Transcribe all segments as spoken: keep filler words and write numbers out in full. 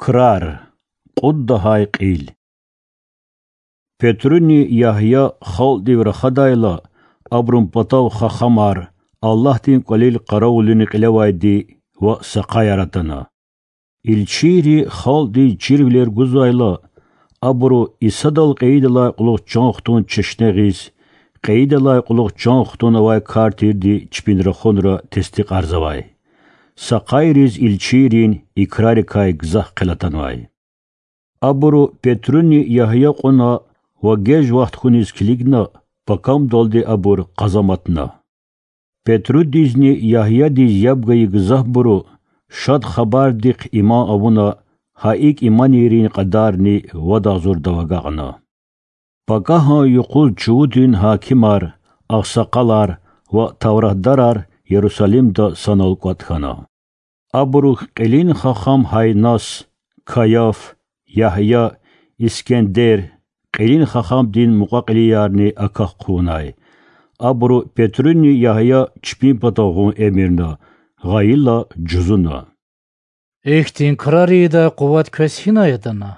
Крар. Кьуд лагьай кьил. Петруни Ягья халкьдив рахадайла, абурун патав хахамар, Аллагьдин кӀвалил къаравулунин кьилевайди ва сакъаяр атана. Илчийри халкьдиз чирвилер гузвайла, абуру Исадал кьейидалай кьулухъ чан хтун чешне гъиз, кьейидалай кьулухъ чан хтун авай кар тирди чпин рахунра тестикьарзавай. Сакъайриз илчийрин икрарикай гзаф хъел атанвай. Абуру Петруни Ягья кьуна ва геж вахт хьуниз килигна, пакамдалди абур къазаматна. Петрудизни Ягьядиз яб гайи гзафбуру Шад Хабардихъ иман авуна, гьа икӀ иманийрин кьадарни вад агъзурдав агакьна. Пакагьан юкъуз чувудин гьакимар, агъсакъалар ва тавратдарар Ярусалимда санал кӀватӀ хьана. Абурухъ кьилин хахам Гьаннас, Каяф, Ягья, Искендер, кьилин хахамдин мукьва-кьилиярни акахъ хъувунай. Абуру Петруни Ягья чпин патав гъун эмирна, гъайила жузуна: Ихьтин крар ийидай къуват квез гьинай атана?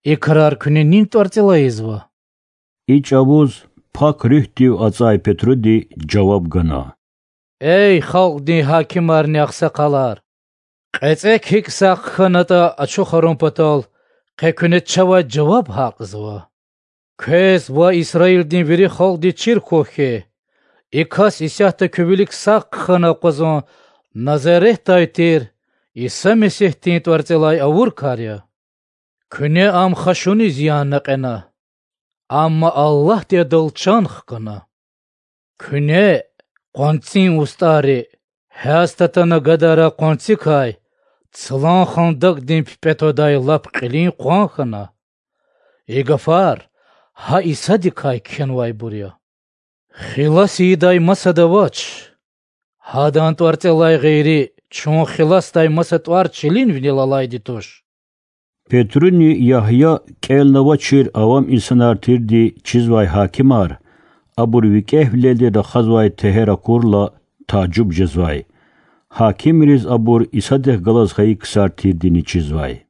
И крар куьне нин тӀварцӀелай ийизва? И чӀавуз Пак Руьгьдив ацӀай Петруди жаваб гана: Эй халкьдин гьакимарни агъсакъалар! КьецӀек гьикӀ сагъ хьанатӀа ачухарун патал къе куьне чавай жаваб гьакьзава. Квез ва Исраилдин вири халкьдиз чир хьухь хьи, и кас исятда куь вилик сагъ хъхьана акъвазун Назаретдай тир Иса Месигьдин тӀварцӀелай авур кар я. Куьне ам хашуниз янна кьена, амма Аллагьди адал чан хкана. Куьне, къванцин устӀарри, гьяз татана гадара къванцикай, цлан хандакӀдин пипӀе твадай лап кьилин къван хьана. И гафар гьа Исадикай кхьенвайбур я. Хилас ийидай масад авач, гьадан тӀварцӀелай гъейри чун хиласдай маса тӀвар чилин винел алайди туш. Петруни Ягья кӀелнавачир авам инсанар тирди чизвай гьакимар, абур викӀегьвилелди рахазвай тегьер акурла, тажуб жезвай. Гьакимриз абур Исадихъ галаз хьайи ксар тирдини чизвай.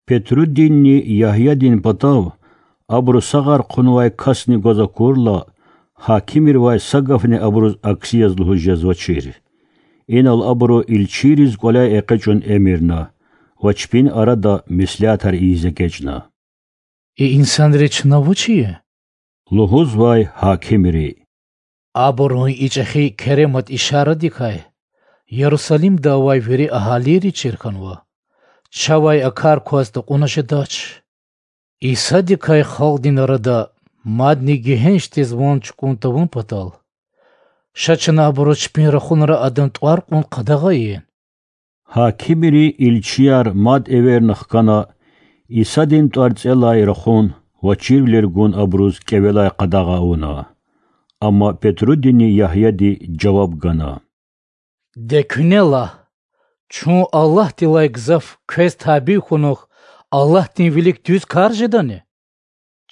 Петрудинни Ягьядин патав абуру сагъар хъунвай касни гваз акурла, гьакимривай са гафни абуруз акси яз лугьуз жезвачир. Инал абуру илчийриз кӀваляй экъечӀун эмирна ва чпин арада меслятар ийиз эгечӀна: И инсанри чна вуч ийин? лугьузвай гьакимри. Абурун и чӀехи керемат ишарадикай Ярусалимда авай вири агьалийри чир хьанва. Чавай а кар кваз такьуна жедач. Исадикай халкьдин арада мадни гегьеншдиз ван чукӀун тавун патал, ша чна абуруз чпин рахунра адан тӀвар кьун къадагъа ийин. Гьакимри илчияр мад эверна хкана, Исадин тӀварцӀелай рахун ва чирвилер гун абуруз кӀевелай къадагъа авуна. Амма Петрудини Ягьяди жаваб гана: Де куьне лагь, чун Аллагьдилай гзаф квез табий хьунухь Аллагьдин вилик дуьз кар жедани?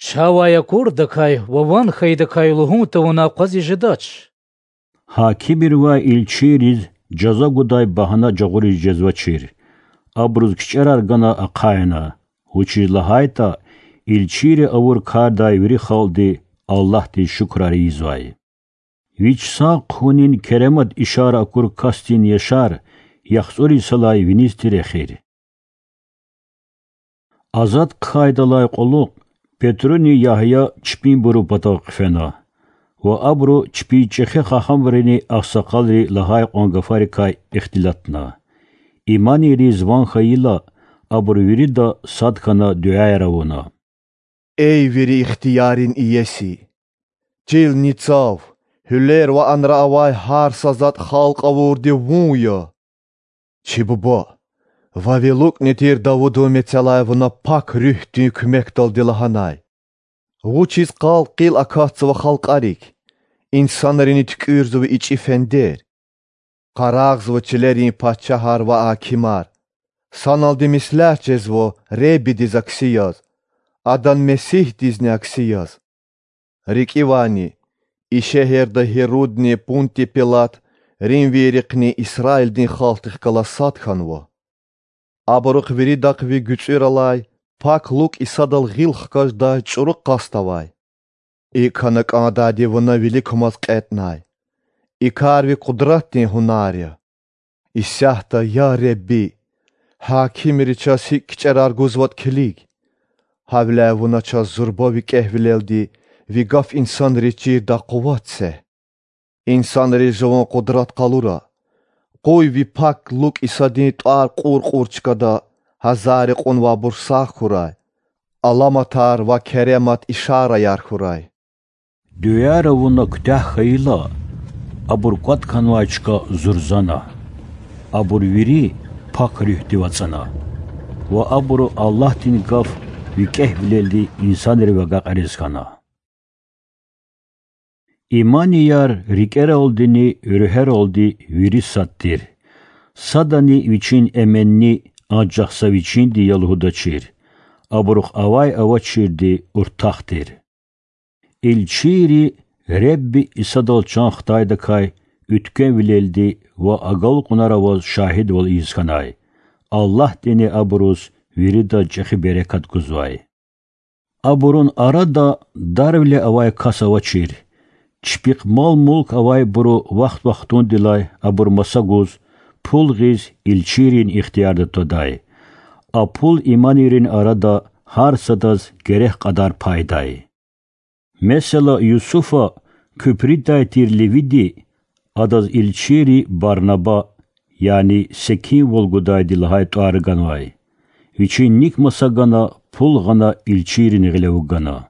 Чавай акурдакай ва ван хьайидакай лугьун тавуна акъвазиз жедач. Гьакимривай илчийриз жаза гудай багьана жагъуриз жезвачир. Абуруз кичӀерар гана ахъайна, вучиз лагьайтӀа илчийри авур кардай вири халкьди Аллагьдиз шукурар ийизвай. Вич сагъ хъувунин керемат ишара акур касдин яшар яхцӀур йисалай виниз тир эхир. Азад хъайидалай кьулухъ Петруни Ягья чпинбурун патав хъфена ва абуру чпин чӀехи хахамрини агъсакъалри лагьай кьван гафарикай ихтилатна. Иманийриз ван хьайила, абуру вирида сад хьана дуьаяр авуна: Эй вири ихтиярин иеси! Чилни цав, гьуьлер ва анра авай гьар са затӀ халкь авурди вун я. Чи буба, вавилукьни тир Давудун мецелай вуна Пак Руьгьдин куьмекдалди лагьанай: Вучиз къал-къил акатзава халкьарик, инсанрини туькӀуьрзава ичӀи фендер, къарагъзава чилерин пачагьар ва гьакимар, саналди меслят жезва Худадиз акси яз, Адан Месигьдизни акси яз. РикӀивайни, и шегьерда Гьирудни Пунтий Пилат римвийрихъни Исраилдин халкьдихъ галаз сад хьанва. Абурухъ виридахъ ви гуьцӀуьралай Пак ЛукӀ Исадал гъил хкаждай чӀуру къаст авай. ИкӀ хьана кӀандайди Вуна виликамаз кьетӀнай. И кар Ви къудратдин гьунар я. Исятда, я Худа, гьакимри чаз гьикӀ кичӀерар гузватӀа килиг. Гьавиляй Вуна чаз зурба Ви кӀегьвилелди Ви гаф инсанриз чирдай къуват це. Инсанриз жуван къудрат къалура. Къуй Ви Пак ЛукӀ Исадин тӀвар кьур-кьур чкада, гьазаррикьун ва абур сагъ хьурай, аламатар ва керемат ишараяр хьурай. Дуьаяр авуна куьтягь хьайила, абур кӀватӀ хьанвай чка зурзана. Абур вири Пак Руьгьдив ацӀана ва абуру Аллагьдин гаф викӀегьвилелди инсанрив агакьариз хьана. Иманияр рикӀералдини руьгьералди вири сад тир. Садани вичин эменни анжах са вичинди я лугьудачир, абурухъ авай-авачирди уртах тир. Илчийри Худа Исадал чан хтайдакай уьтквемвилелди ва агалкьунар аваз шагьидвал ийиз хьанай. Аллагьдини абуруз виридаз чӀехи берекат гузвай. Абурун арада дарвиле авай кас авачир. Чпихъ мал-мулк авайбуру вахт-вахтундилай абур маса гуз, пул гъиз илчийрин ихтиярда твадай. А пул иманийрин арада гьар садаз герек кьадар пайдай. Месела, Юсуфа, куьпридай тир левиди, адаз илчийри Барнаба, яни секинвал гудайди лагьай тӀвар ганвай. Вичин ник маса гана, пул гъана, илчийрин гъиле вугана.